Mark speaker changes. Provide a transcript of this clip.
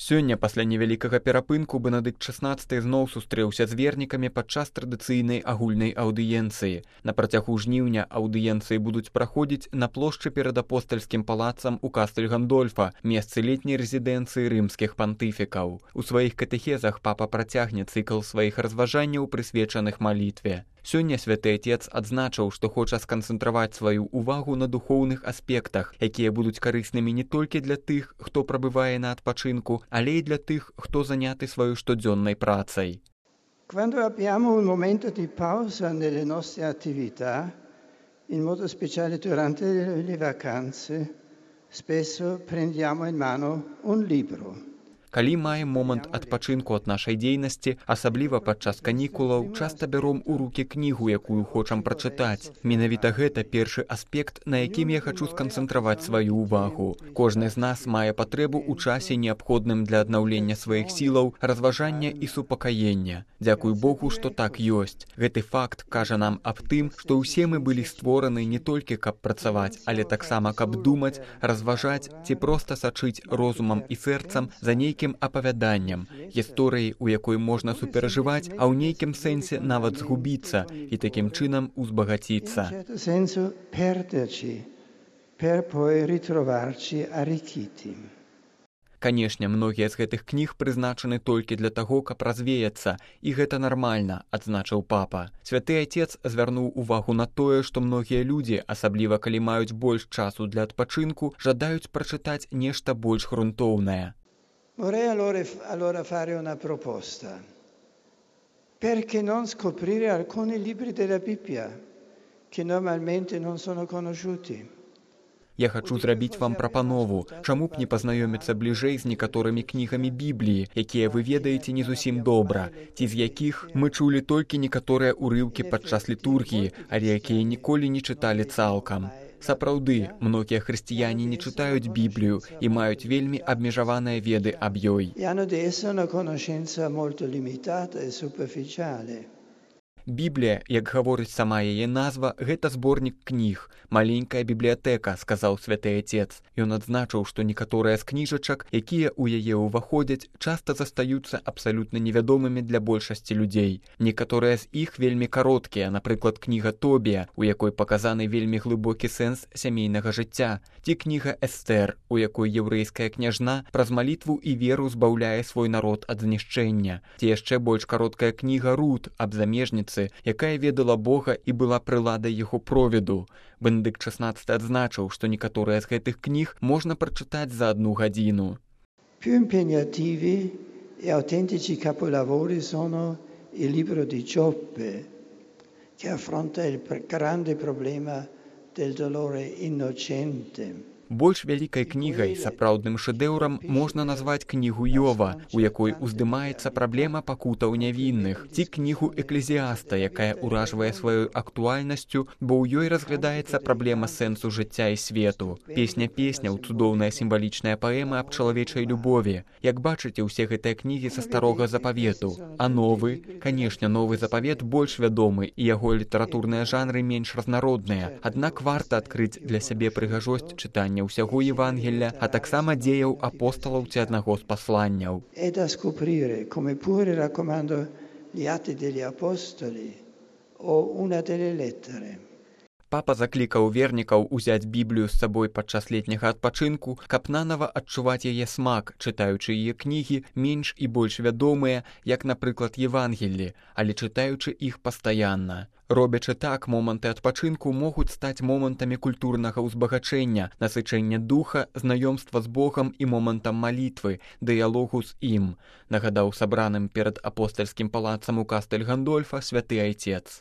Speaker 1: Сёння, пасля невялікага перапынку, Бенедыкт XVI зноў сустрэўся з вернікамі падчас традыцыйнай агульнай аўдыенцыі. На працягу жніўня аўдыенцыі будуць праходзіць на плошчы перад апостальскім палацам у Кастэль-Гандольфа, месцы летняй рэзідэнцыі рымскіх пантыфікаў. У сваіх катэхезах папа працягне цыкл сваіх разважанняў, прысвечаных малітве. Сёння святы Отец адзначыў, што хоча сканцэнтраваць сваю ўвагу на духоўных аспектах, якія будуць карыснымі не толькі для тых, хто прабывае на адпачынку, але і для тых, хто заняты сваёй штодзённай працай.
Speaker 2: Quando abbiamo un momento di pausa nelle nostre attività, in modo speciale durante le vacanze, spesso prendiamo in mano un libro.
Speaker 1: Калі маем момант адпачынку ад нашай дзейнасці, асабліва падчас канікулаў, часта бяром у рукі кнігу, якую хочам прачытаць. Менавіта гэта першы аспект, на якім я хачу сканцэнтраваць сваю ўвагу. Кожны з нас мае патрэбу ў часе, неабходным для аднаўлення сваіх сілаў, разважання і супакаення. Дзякуй Богу, што так ёсць. Гэты факт кажа нам аб тым, што ўсе мы былі створаны не толькі каб працаваць, але таксама каб думаць, разважаць ці проста сачыць розумам і сэрцам за нейкім апавяданням, гісторыяй, у якой можна суперажываць, а ў нейкім сэнсе нават згубіцца і такім чынам узбагаціцца. Канешне, многія з гэтых кніг прызначаны толькі для таго, каб развеяцца, і гэта нармальна, адзначыў папа. Святы Отец звярнуў увагу на тое, што многія людзі, асабліва калі маюць больш часу для адпачынку, жадаюць прачытаць нешта больш грунтоўнае.
Speaker 2: Vorrei allora fare una proposta. Perché non scoprire alcuni libri della Bibbia che normalmente non sono conosciuti?
Speaker 1: Я хачу зрабіць вам прапанову. Чаму б не пазнаёміцца бліжэй з некаторымі кнігамі Бібліі, якія вы ведаеце не зусім добра, ці з якіх мы чулі толькі некаторыя ўрыўкі падчас літургіі, але якія ніколі не чыталі цалкам. Сапраўды, многія хрысціяне не чытаюць Біблію і маюць вельмі абмежаваныя веды аб ёй. Біблія, як гаворыць сама яе назва, гэта зборнік кніг, маленькая бібліятэка, сказаў святы Отец. Ён адзначыў, што некаторыя з кніжачак, якія ў яе ўваходзяць, часта застаюцца абсалютна невядомымі для большасці людзей. Некаторыя з іх вельмі кароткія, напрыклад, кніга Тобія, у якой паказаны вельмі глыбокі сэнс сямейнага жыцця, ці кніга Эстэр, у якой яўрэйская княжна праз малітву і веру збаўляе свой народ ад знішчэння, ці яшчэ больш кароткая кніга Рут аб замежніцы, якая ведала Бога і была прыладай яго провіду. Бенедыкт XVI адзначыў, што некаторыя з гэтых кніг можна прачытаць за 1 гадзіну.
Speaker 2: Più impegnativi e autentici capolavori sono il libro di Giobbe, che affronta il grande problema del dolore innocente.
Speaker 1: Больш вялікай кнігай, сапраўдным шэдэўрам можна назваць кнігу Йова, у якой уздымаецца праблема пакутаў нявінных, ці кнігу Эклезіаста, якая ўражвае сваёй актуальнасцю, бо ў ёй разглядаецца праблема сэнсу жыцця і свету. Песня песняў, цудоўная сімвалічная паэма аб чалавечай любові. Як бачыце, усе гэтыя кнігі са старога запавету. А новы, канешне, новы запавет больш вядомы, і яго літаратурныя жанры менш разнародныя. Аднак варта адкрыць для сябе прыгажосць чытання ўсяго Евангелля, а таксама дзеяў апосталаў ці аднаго з пасланняў.
Speaker 2: È da scoprire, come pure raccomando gli Atti degli Apostoli o una delle lettere.
Speaker 1: Папа заклікаў вернікаў узяць Біблію з сабой падчас летняга адпачынку, каб нанава адчуваць яе смак, чытаючы яе кнігі менш і больш вядомыя, як, напрыклад, Евангеллі, але чытаючы іх пастаянна. Робячы так, моманты адпачынку могуць стаць момантамі культурнага ўзбагачэння, насычэння духа, знаёмства з Богам і момантам малітвы, дыялогу з ім, нагадаў сабраным перад апостальскім палацам у Кастэль-Гандольфа святы Отец.